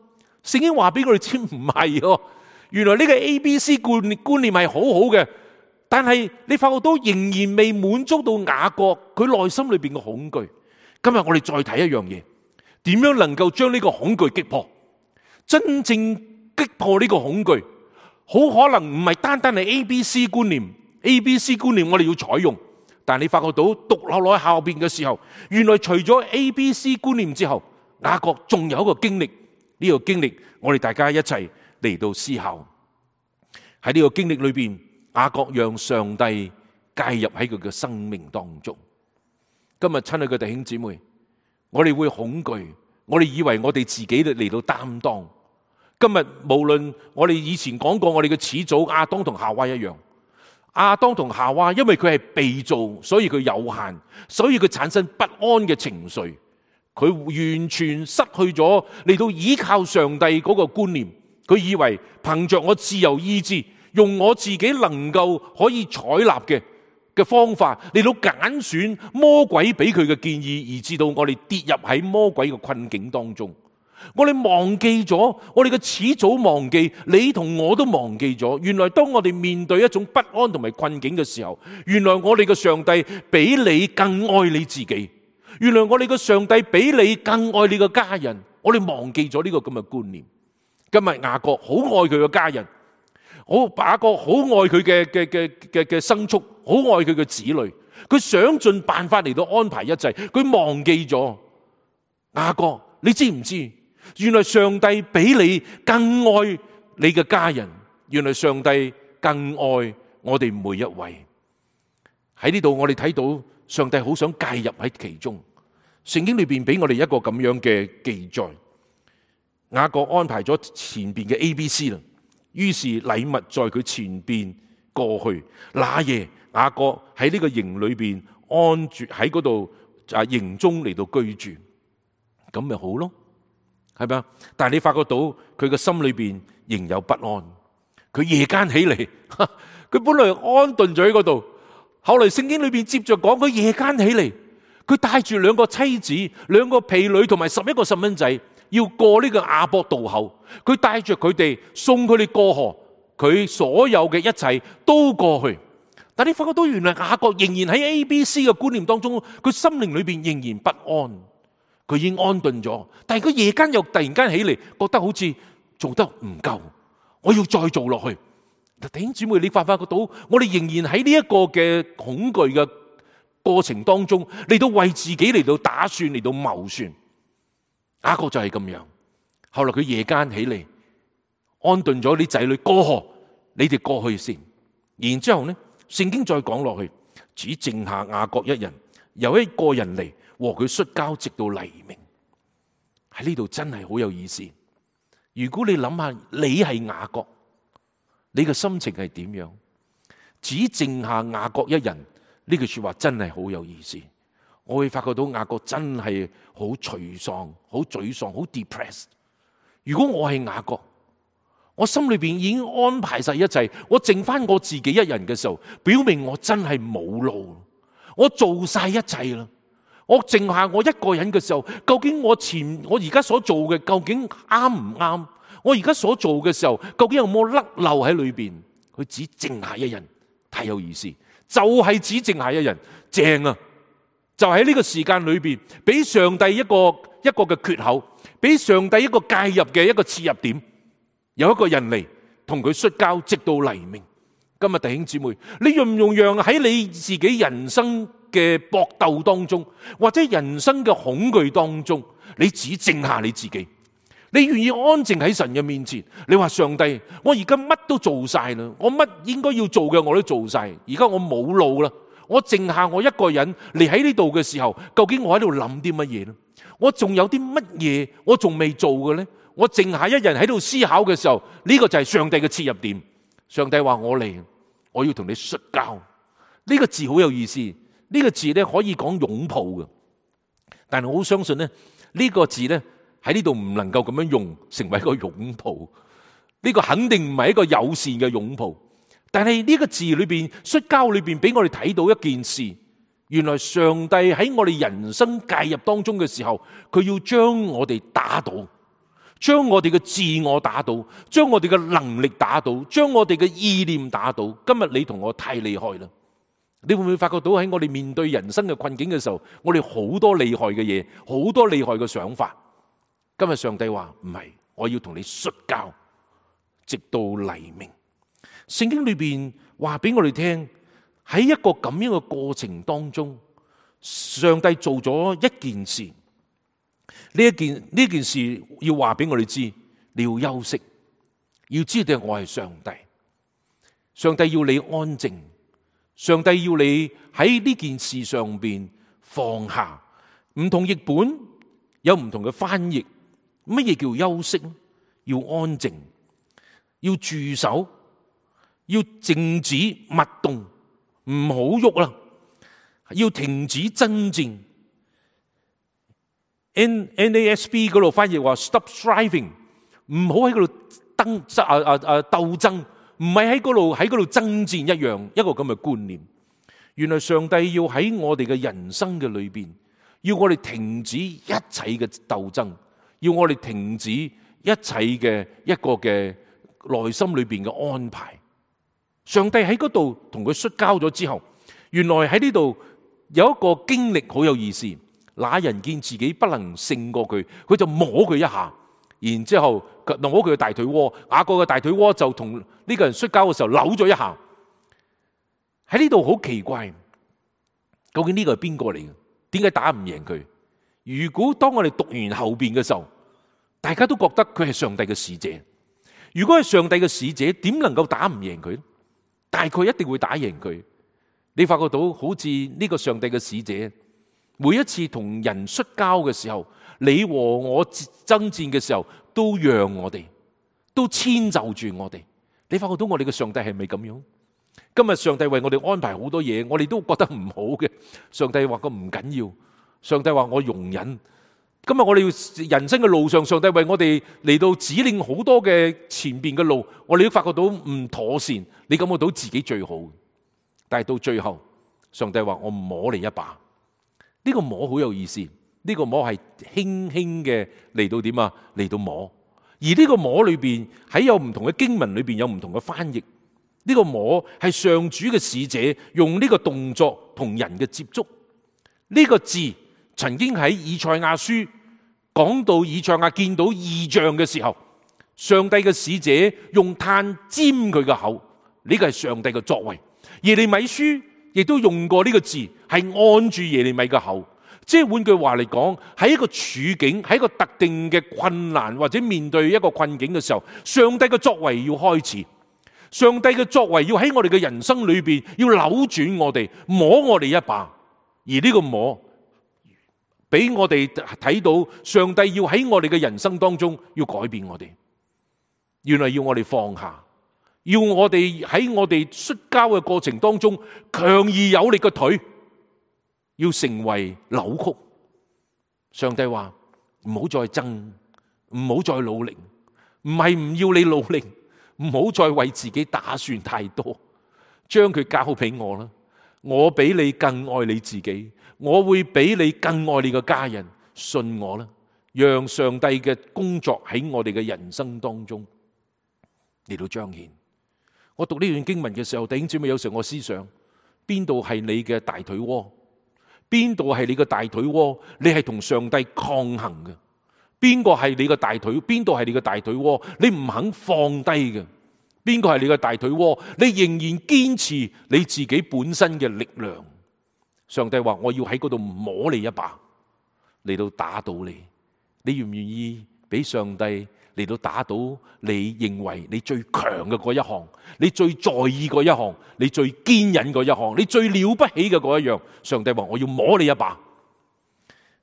聖經話俾我哋知唔係喎，原來呢個 A B C 觀觀念係好好嘅，但係你發覺到仍然未滿足到雅各佢內心裏邊嘅恐懼。今日我哋再睇一樣嘢，點樣能夠將呢個恐懼擊破？真正擊破呢個恐懼，好可能唔係單單係 A B C 觀念 ，A B C 觀念我哋要採用，但係你發覺到讀落落後邊嘅時候，原來除咗 A B C 觀念之後，雅各仲有一個經歷，呢個經歷我哋大家一齊嚟到思考。喺呢個經歷裏邊，雅各讓上帝介入喺佢嘅生命當中。今日親愛嘅弟兄姊妹，我哋會恐懼，我哋以為我哋自己嚟到擔當。今日無論我哋以前講過，我哋嘅始祖亞當同夏娃一樣，亞當同夏娃因為佢係被造，所以佢有限，所以佢產生不安嘅情緒，佢完全失去咗嚟到依靠上帝嗰個觀念。佢以為憑着我自由意志，用我自己能夠可以採納嘅嘅方法嚟到揀選魔鬼俾佢嘅建議，而至到我哋跌入喺魔鬼嘅困境當中。我哋忘記咗，我哋嘅始祖忘記，你同我都忘記咗。原來當我哋面對一種不安同埋困境嘅時候，原來我哋嘅上帝比你更愛你自己。原來我哋嘅上帝比你更愛你嘅家人。我哋忘記咗呢個咁嘅觀念。今日雅各好愛佢嘅家人，好雅各好愛佢嘅嘅嘅嘅嘅牲畜，好愛佢嘅子女。佢想盡辦法嚟到安排一切，佢忘記咗雅各。你知唔知？原來上帝比你更愛你嘅家人，原來上帝更愛我哋每一位。喺呢度我哋睇到上帝好想介入喺其中。聖經裏邊俾我哋一個咁樣嘅記載，雅各安排咗前邊嘅 A B C 啦，於是禮物在佢前邊過去。那夜雅各喺呢個營裏邊安住喺嗰度啊，營中嚟到居住，咁咪好咯。係咪啊？但係你發覺到佢嘅心裏邊仍有不安。佢夜間起嚟，佢本來安頓咗喺嗰度，後來聖經裏邊接着講，佢夜間起嚟，佢帶住兩個妻子、兩個婢女同埋十一個細蚊仔，要過呢個亞伯渡口。佢帶着佢哋送佢哋過河，佢所有嘅一切都過去。但你發覺到原來雅各仍然喺 A B C 嘅觀念當中，佢心靈裏邊仍然不安。佢已經安頓咗，但係佢夜間又突然間起嚟，覺得好似做得唔夠，我要再做落去。弟兄姊妹，你發發覺到，我哋仍然喺呢一個嘅恐懼嘅過程當中，嚟到為自己嚟到打算，嚟到謀算。雅各就係咁樣。後來佢夜間起嚟，安頓咗啲仔女過河，你哋過去先。然之後呢，聖經再講落去，只剩下雅各一人，有一個人嚟和佢摔跤，直到黎明。喺呢度真係好有意思。如果你諗下，你係雅各，你嘅心情係點樣？只剩下雅各一人，呢句說話真係好有意思。我會發覺到雅各真係好沮喪、好沮喪、好 depressed。如果我係雅各，我心裏邊已經安排晒一切，我剩翻我自己一人嘅時候，表明我真係冇路，我做晒一切啦。我剩下我一個人嘅時候，究竟我前我而家所做嘅究竟啱唔啱？我而家所做嘅時候，究竟有冇甩漏喺裏邊？佢只剩下一人，太有意思，就係只剩下一人，正啊！就喺呢個時間裏邊，俾上帝一個一個嘅缺口，俾上帝一個介入嘅一個切入點，有一個人嚟同佢摔跤，直到黎明。今日弟兄姊妹，你容唔容讓喺你自己人生嘅搏鬥當中，或者人生嘅恐懼當中，你只靜下你自己，你願意安靜喺神嘅面前。你話上帝，我而家乜都做晒啦，我乜應該要做嘅我都做晒，而家我冇路啦，我靜下我一個人嚟喺呢度嘅時候，究竟我喺度諗啲乜嘢呢？我仲有啲乜嘢我仲未做嘅呢？我靜下一人喺度思考嘅時候，呢個就係上帝嘅切入點。上帝話我嚟，我要同你摔跤。呢個字好有意思，呢個字咧可以講擁抱嘅，但係我好相信咧，呢個字咧喺呢度唔能夠咁樣用成為一個擁抱。呢個肯定唔係一個友善嘅擁抱。但係呢個字裏邊摔跤裏邊俾我哋睇到一件事，原來上帝喺我哋人生介入當中嘅時候，佢要將我哋打倒，將我哋嘅自我打倒，將我哋嘅能力打倒，將我哋嘅意念打倒。今日你同我太厲害啦！你會唔會發覺到喺我哋面對人生嘅困境嘅時候，我哋好多厲害嘅嘢，好多厲害嘅想法。今日上帝話唔係，我要同你摔跤，直到黎明。聖經裏邊話俾我哋聽，喺一個咁樣嘅過程當中，上帝做咗一件事。呢一件呢件事要話俾我哋知，你要休息，要知道我係上帝。上帝要你安靜，上帝要你喺呢件事上邊放下。唔同譯本有唔同嘅翻譯。乜嘢叫休息？要安靜，要駐守，要靜止勿動，唔好喐啦，要停止爭戰。N N A S B 嗰度翻譯話 stop striving， 唔好喺嗰度爭啊啊啊鬥爭，唔係喺嗰度喺嗰度爭戰一樣，一個咁嘅觀念。原來上帝要喺我哋嘅人生嘅裏邊，要我哋停止一切嘅鬥爭，要我哋停止一切嘅一個嘅內心裏邊嘅安排。上帝喺嗰度同佢摔跤咗之後，原來喺呢度有一個經歷好有意思。那人見自己不能勝過佢，佢就摸佢一下，然之後摸佢嘅大腿窩。雅各嘅大腿窩就同呢個人摔跤嘅時候扭咗一下。喺呢度好奇怪，究竟呢個係邊個嚟嘅？點解打唔贏佢？如果當我哋讀完後邊嘅時候，大家都覺得佢係上帝嘅使者。如果係上帝嘅使者，點能夠打唔贏佢？大概一定會打贏佢。你發覺到好似呢個上帝嘅使者，每一次同人摔跤嘅時候，你和我爭戰嘅時候，都讓我哋，都遷就住我哋。你發覺到我哋嘅上帝係咪咁樣？今日上帝為我哋安排好多嘢，我哋都覺得唔好嘅。上帝話個唔緊要，上帝話我容忍。今日我哋要人生嘅路上，上帝為我哋嚟到指令好多嘅前邊嘅路，我哋都發覺到唔妥善，你感覺到自己最好。但係到最後，上帝話我摸你一把。呢個摸好有意思，呢個摸係輕輕嘅嚟到點啊？嚟到摸，而呢個摸裏邊喺有唔同嘅經文裏邊有唔同嘅翻譯。呢個摸係上主嘅使者用呢個動作同人嘅接觸。呢個字曾經喺以賽亞書講到以賽亞見到異象嘅時候，上帝嘅使者用炭沾佢嘅口，呢個係上帝嘅作為。耶利米書亦都用過呢個字，係按住耶利米嘅口。即係換句話嚟講，喺一個處境，喺一個特定嘅困難或者面對一個困境嘅時候，上帝嘅作為要開始。上帝嘅作為要喺我哋嘅人生裏邊要扭轉我哋，摸我哋一把。而呢個摸俾我哋睇到，上帝要喺我哋嘅人生當中要改變我哋。原來要我哋放下，要我哋喺我哋摔跤嘅過程當中，強而有力嘅腿要成為扭曲。上帝話唔好再爭，唔好再努力，唔係唔要你努力，唔好再為自己打算太多，將佢交俾我啦。我比你更愛你自己，我會比你更愛你嘅家人。信我啦，讓上帝嘅工作喺我哋嘅人生當中嚟到彰顯。我讀呢段經文嘅時候，弟兄姊妹，有時候我思想，邊度係你嘅大腿窩？邊度係你嘅大腿窩？你係同上帝抗衡嘅。邊個係你嘅大腿？邊度係你嘅大腿窩？你唔肯放低嘅。邊個係你嘅大腿窩？你仍然堅持你自己本身嘅力量。上帝話我要喺嗰度摸你一把，嚟到打倒你。你願唔願意俾上帝嚟到打倒你認為你最強嘅嗰一項，你最在意嗰一項，你最堅忍嗰一項，你最了不起嘅嗰一樣？上帝話我要摸你一把。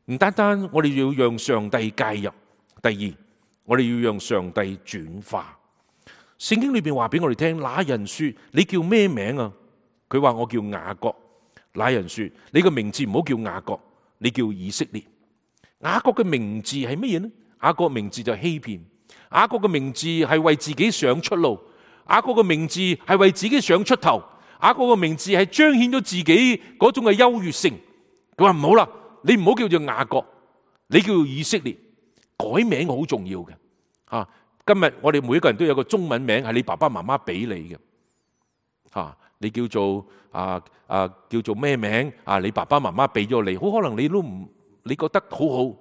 唔單單我哋要讓上帝介入，第二我哋要讓上帝轉化。聖經裏邊話俾我哋聽，那人說你叫咩名啊？佢話我叫雅各。那人說你個名字唔好叫雅各，你叫以色列。雅各嘅名字係乜嘢呢？雅各嘅名字就係欺騙。雅各嘅名字係為自己想出路。雅各嘅名字係為自己想出頭。雅各嘅名字係彰顯咗自己嗰種嘅優越性。佢話唔好啦，你唔好叫做雅各，你叫做以色列。改名好重要嘅。啊，今日我哋每一個人都有個中文名係你爸爸媽媽俾你嘅。啊，你叫做啊啊叫做咩名啊？你爸爸媽媽俾咗你，好可能你都唔。你覺得好好，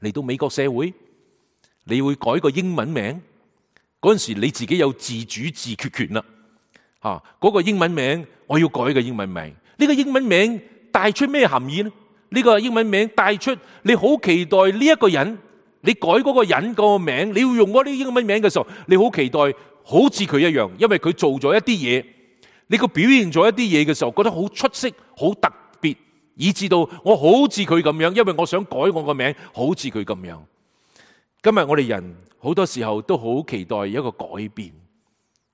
嚟到美國社會，你會改個英文名，嗰陣時你自己有自主自決權啦。嚇，嗰個英文名我要改個英文名，呢個英文名帶出咩含義呢？呢個英文名帶出你好期待呢一個人，你改嗰個人個名，你要用嗰啲英文名嘅時候，你好期待好似佢一樣，因為佢做咗一啲嘢，你個表現咗一啲嘢嘅時候，覺得好出色，好特別。以至到我好似佢咁樣，因為我想改我個名，好似佢咁樣。今日我哋人好多時候都好期待一個改變。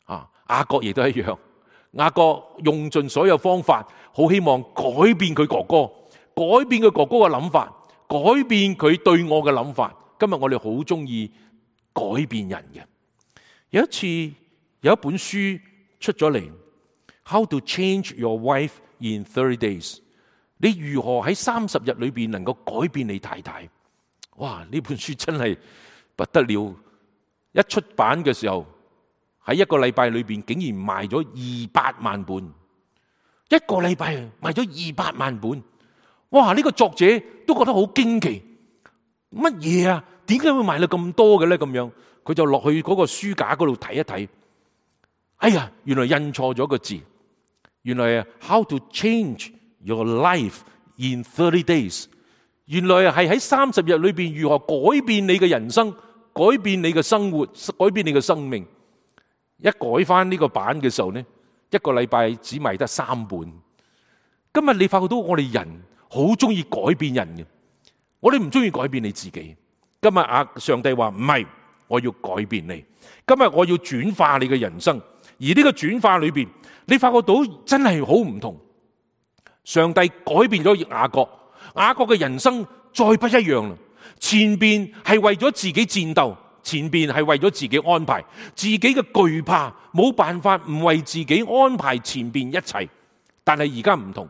啊，雅各亦都一樣，雅各用盡所有方法，好希望改變佢哥哥，改變佢哥哥嘅諗法，改變佢對我嘅諗法。今日我哋好中意改變人嘅。有一次有一本書出咗嚟 ，How to Change Your Wife in thirty days。你如何喺三十日裏邊能夠改變你太太？哇！呢本書真係不得了，一出版嘅時候喺一個禮拜裏邊竟然賣咗二百萬本，一個禮拜賣咗二百萬本。哇！呢個作者都覺得好驚奇，乜嘢啊？點解會賣到咁多嘅咧？咁樣佢就落去嗰個書架嗰度睇一睇，哎呀，原來印錯咗個字，原來啊 How to change Your life in thirty days， 原來係喺三十日裏邊如何改變你嘅人生，改變你嘅生活，改變你嘅生命。一改翻呢個版嘅時候呢，一個禮拜只賣得三本。今日你發覺到我哋人好中意改變人嘅，我哋唔中意改變你自己。今日啊，上帝話唔係，我要改變你。今日我要轉化你嘅人生，而呢個轉化裏邊，你發覺到真係好唔同。上帝改變咗雅各，雅各嘅人生再不一樣啦。前邊係為咗自己戰鬥，前邊係為咗自己安排，自己嘅懼怕冇辦法唔為自己安排前邊一切。但係而家唔同，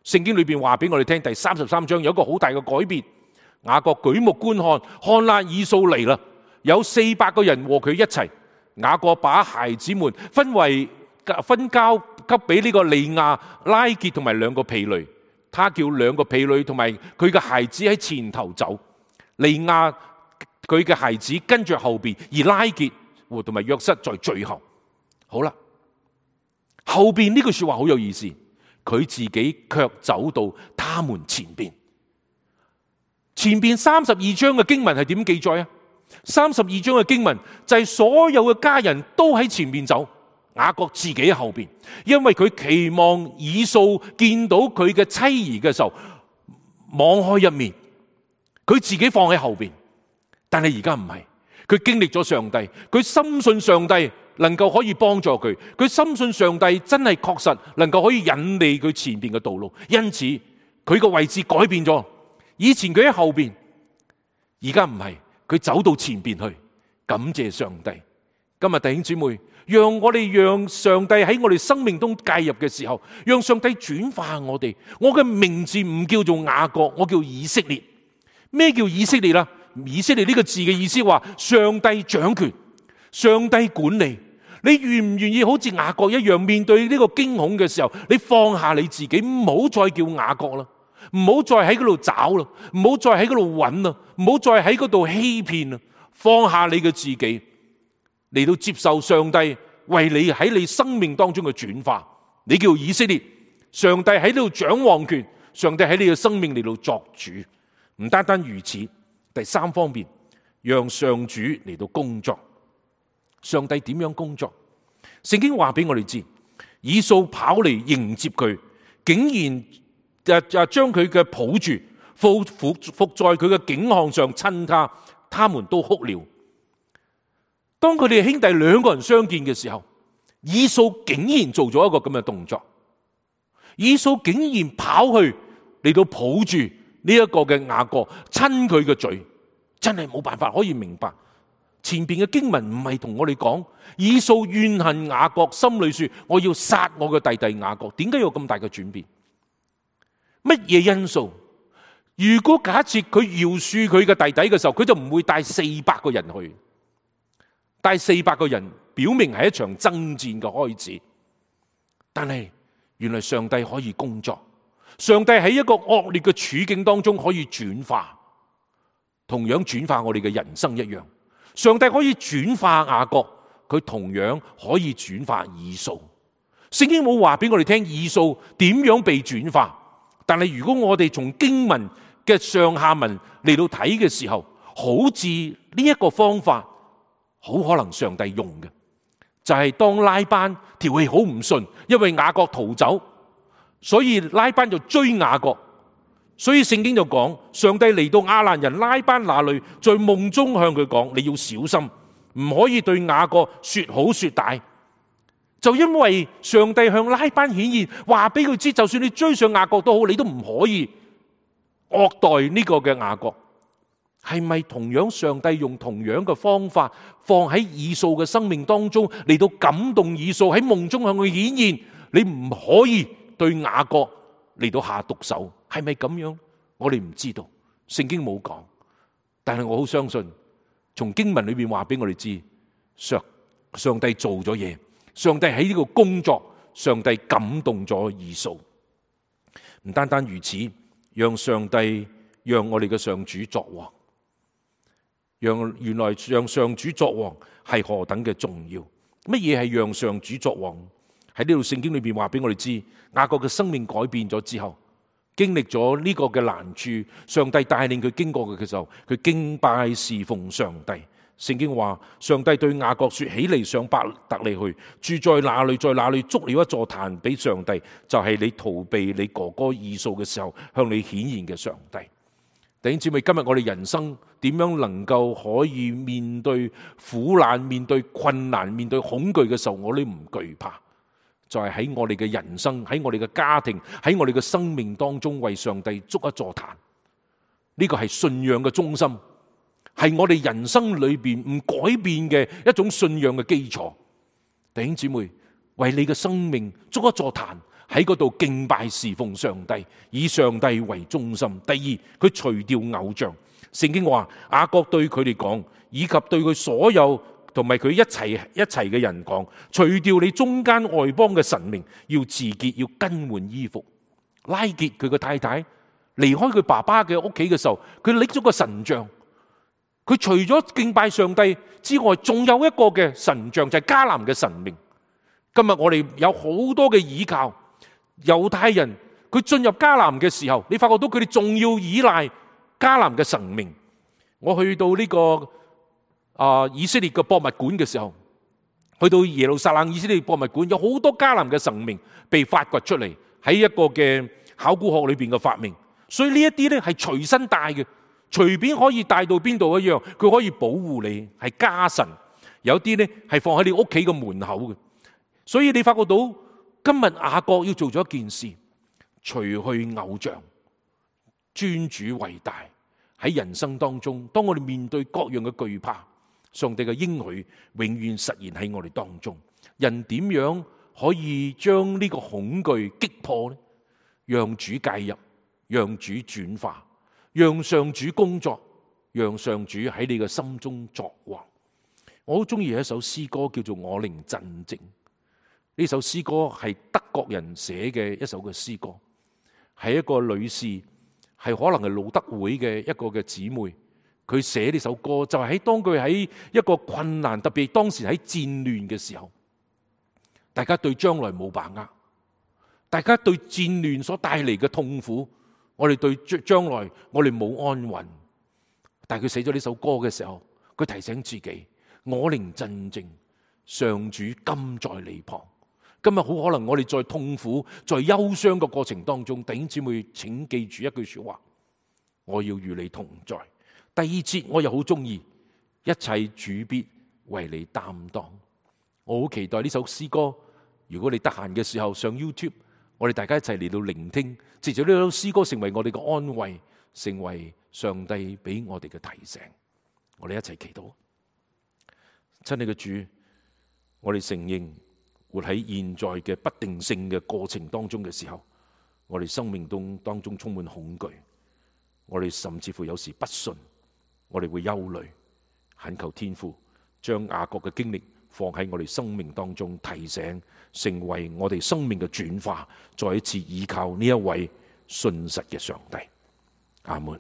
聖經裏邊話俾我哋聽，第三十三章有一個好大嘅改變。雅各舉目觀看，看啦，以掃嚟啦，有四百個人和佢一齊。雅各把孩子們分為分交給俾呢個利亞、拉結同埋兩個婢女，他叫兩個婢女同埋佢嘅孩子喺前頭走，利亞佢嘅孩子跟住後邊，而拉結同埋約瑟在最後。好啦，後邊呢句說話好有意思，佢自己卻走到他們前邊。前邊三十二章嘅經文係點記載啊？三十二章嘅經文就係所有嘅家人都喺前面走，雅各自己喺後邊，因為佢期望以掃見到佢嘅妻兒嘅時候網開一面，佢自己放喺後邊。但係而家唔係，佢經歷咗上帝，佢深信上帝能夠可以幫助佢，佢深信上帝真係確實能夠可以引領佢前邊嘅道路，因此佢個位置改變咗。以前佢喺後邊，而家唔係，佢走到前邊去。感謝上帝。今日弟兄姊妹，讓我哋讓上帝喺我哋生命中介入嘅時候，讓上帝轉化我哋。我嘅名字唔叫做雅各，我叫以色列。咩叫以色列啦？以色列呢個字嘅意思話上帝掌權，上帝管理。你願唔願意好似雅各一樣，面對呢個驚恐嘅時候，你放下你自己，唔好再叫雅各啦，唔好再喺嗰度找啦，唔好再喺嗰度揾啦，唔好再喺嗰度欺騙啦，放下你嘅自己，嚟到接受上帝為你喺你生命當中嘅轉化。你叫以色列，上帝喺呢度掌王權，上帝喺你嘅生命嚟到作主。唔單單如此，第三方面，讓上主嚟到工作。上帝點樣工作？聖經話俾我哋知，以掃跑嚟迎接佢，竟然就就將佢嘅抱住，伏伏伏在佢嘅頸項上親他，他們都哭了。當佢哋兄弟兩個人相見嘅時候，以掃竟然做咗一個咁嘅動作，以掃竟然跑去嚟到抱住呢一個嘅雅各，親佢嘅嘴，真係冇辦法可以明白。前邊嘅經文唔係同我哋講，以掃怨恨雅各，心裏說我要殺我嘅弟弟雅各。點解有咁大嘅轉變？乜嘢因素？如果假設佢饒恕佢嘅弟弟嘅時候，佢就唔會帶四百個人去。帶四百個人表明係一場爭戰嘅開始，但係原來上帝可以工作，上帝喺一個惡劣嘅處境當中可以轉化，同樣轉化我哋嘅人生一樣。上帝可以轉化雅各，佢同樣可以轉化以掃。聖經冇話俾我哋聽以掃點樣被轉化，但係如果我哋從經文嘅上下文嚟到睇嘅時候，好似呢一個方法好可能上帝用嘅，就係當拉班條氣好唔順，因為雅各逃走，所以拉班就追雅各。所以聖經就講，上帝嚟到亞蘭人拉班那裏，在夢中向佢講，你要小心，唔可以對雅各說好說歹。就因為上帝向拉班顯現，話俾佢知，就算你追上雅各都好，你都唔可以惡待呢個嘅雅各。係咪同樣上帝用同樣嘅方法放喺以掃嘅生命當中，嚟到感動以掃喺夢中向佢顯現，你唔可以對雅各嚟到下毒手？係咪咁樣？我哋唔知道，聖經冇講，但係我好相信，從經文裏面話俾我哋知，上上帝做咗嘢，上帝喺呢個工作，上帝感動咗以掃。唔單單如此，讓上帝讓我哋嘅上主作王，讓原來讓上主作王係何等嘅重要。乜嘢係讓上主作王？喺呢度聖經裏邊話俾我哋知，雅各嘅生命改變咗之後，經歷咗呢個嘅難處，上帝帶領佢經過嘅時候，佢敬拜侍奉上帝。聖經話，上帝對雅各說：起嚟上伯特利去，住在那裏，在那裏築了一座壇俾上帝，就係、是、你逃避你哥哥以掃嘅時候向你顯現嘅上帝。弟兄姊妹，今日我哋人生點樣能夠可以面對苦難、面對困難、面對恐懼嘅時候，我哋唔懼怕？就係喺我哋嘅人生，喺我哋嘅家庭，喺我哋嘅生命當中，為上帝築一座壇。呢個係信仰嘅中心，係我哋人生裏邊唔改變嘅一種信仰嘅基礎。弟兄姊妹，為你嘅生命築一座壇，喺嗰度敬拜侍奉上帝，以上帝為中心。第二，佢除掉偶像。聖經話，雅各對佢哋講，以及對佢所有同埋佢一齊一齊嘅人講，除掉你中間外邦嘅神明，要自潔，要更換衣服。拉結佢個太太離開佢爸爸嘅屋企嘅時候，佢拎咗個神像。佢除咗敬拜上帝之外，仲有一個嘅神像，就係迦南嘅神明。今日我哋有好多嘅倚靠。猶太人佢進入迦南嘅時候，你發覺到佢哋仲要依賴迦南嘅神明。我去到呢、這個啊、呃、以色列嘅博物館嘅時候，去到耶路撒冷以色列博物館，有好多迦南嘅神明被發掘出嚟，喺一個嘅考古學裏邊嘅發明。所以呢一啲咧係隨身帶嘅，隨便可以帶到邊度一樣，佢可以保護你，係家神。有啲咧係放喺你屋企嘅門口嘅。所以你發覺到今日雅各要做咗一件事，除去偶像，尊主為大。喺人生當中，當我哋面對各樣嘅懼怕，上帝嘅應許永遠實現喺我哋當中。人點樣可以將呢個恐懼擊破呢？讓主介入，讓主轉化，讓上主工作，讓上主喺你嘅心中作王。我好中意一首詩歌，叫做《我靈鎮靜》。呢首詩歌係德國人寫嘅一首嘅詩歌，係一個女士，係可能係路德會嘅一個嘅姊妹，佢寫呢首歌就係喺當佢喺一個困難，特別當時喺戰亂嘅時候，大家對將來冇把握，大家對戰亂所帶嚟嘅痛苦，我哋對將來我哋冇安穩。但係佢寫咗呢首歌嘅時候，佢提醒自己：我靈鎮靜，上主今在你旁。今日好可能我哋在痛苦、在憂傷嘅過程當中，弟兄姊妹請記住一句說話：我要與你同在。第二節我又好中意，一切主必為你擔當。我好期待呢首詩歌，如果你得閒嘅時候上 YouTube， 我哋大家一齊嚟到聆聽，藉住呢首詩歌成為我哋嘅安慰，成為上帝俾我哋嘅提醒。我哋一齊祈禱。親愛嘅主，我哋承認活喺現在嘅不定性嘅過程當中嘅時候，我哋生命中當中充滿恐懼，我哋甚至乎有時不信，我哋會憂慮，懇求天父將雅各嘅經歷放喺我哋生命當中，提醒成為我哋生命嘅轉化，再一次依靠呢一位信實嘅上帝。阿門。